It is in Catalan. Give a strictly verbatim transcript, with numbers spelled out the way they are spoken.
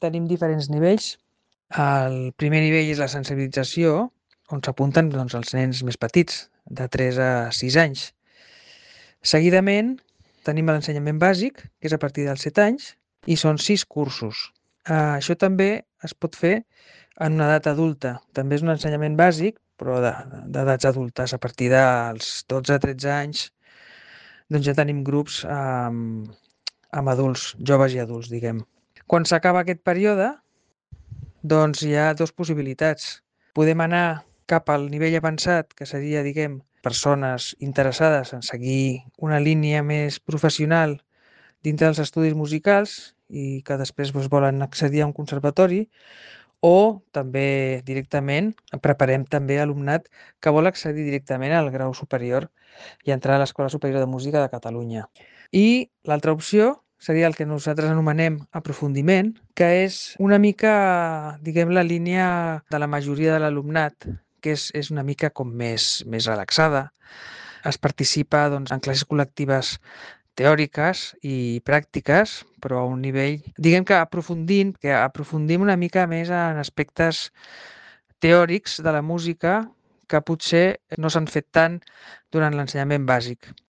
tenim diferents nivells. El primer nivell és la sensibilització, on s'apunten doncs, els nens més petits, de tres a sis anys. Seguidament tenim l'ensenyament bàsic, que és a partir dels set anys, i són sis cursos. Uh, això també es pot fer en una edat adulta. També és un ensenyament bàsic, però d'edats adultes. A partir dels dotze a tretze anys doncs ja tenim grups amb, amb adults, joves i adults, diguem. Quan s'acaba aquest període, doncs hi ha dues possibilitats. Podem anar cap al nivell avançat, que seria, diguem, persones interessades en seguir una línia més professional dintre dels estudis musicals i que després doncs, volen accedir a un conservatori, o també directament preparem també alumnat que vol accedir directament al grau superior i entrar a l'Escola Superior de Música de Catalunya. I l'altra opció seria el que nosaltres anomenem aprofundiment, que és una mica, diguem, la línia de la majoria de l'alumnat, que és, és una mica com més, més relaxada. Es participa doncs, en classes col·lectives teòriques i pràctiques, però a un nivell, diguem que aprofundint, que aprofundim una mica més en aspectes teòrics de la música que potser no s'han fet tant durant l'ensenyament bàsic.